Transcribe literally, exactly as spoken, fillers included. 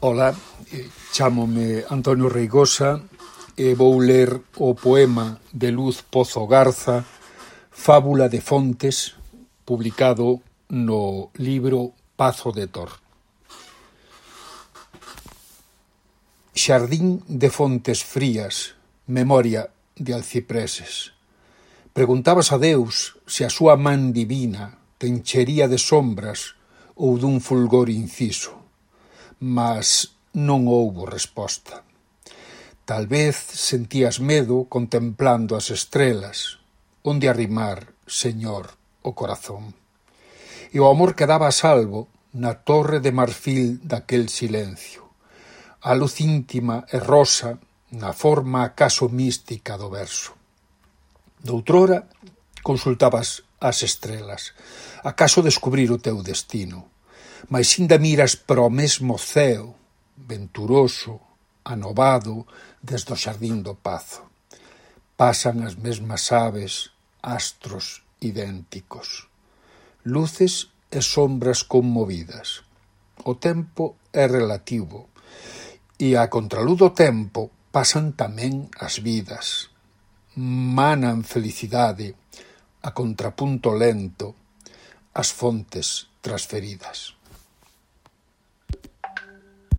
Ola, chámome Antonio Reigosa e vou ler o poema de Luz Pozo Garza, Fábula de Fontes, publicado no libro Pazo de Tor. Xardín de fontes frías, memoria de alcipreses. Preguntabas a Deus se a súa man divina te enchería de sombras ou dun fulgor inciso, mas non houbo resposta. Tal vez sentías medo contemplando as estrelas, onde arrimar, Señor, o corazón. E o amor quedaba a salvo na torre de marfil daquel silencio, a luz íntima e rosa na forma acaso mística do verso. Doutrora consultabas as estrelas, acaso descubrir o teu destino, mais inda miras para o mesmo ceo, venturoso, anovado, desde o xardín do Pazo. Pasan as mesmas aves, astros idénticos, luces e sombras conmovidas. O tempo é relativo, e a contraluz do tempo pasan tamén as vidas. Manan felicidade, a contrapunto lento, as fontes transferidas.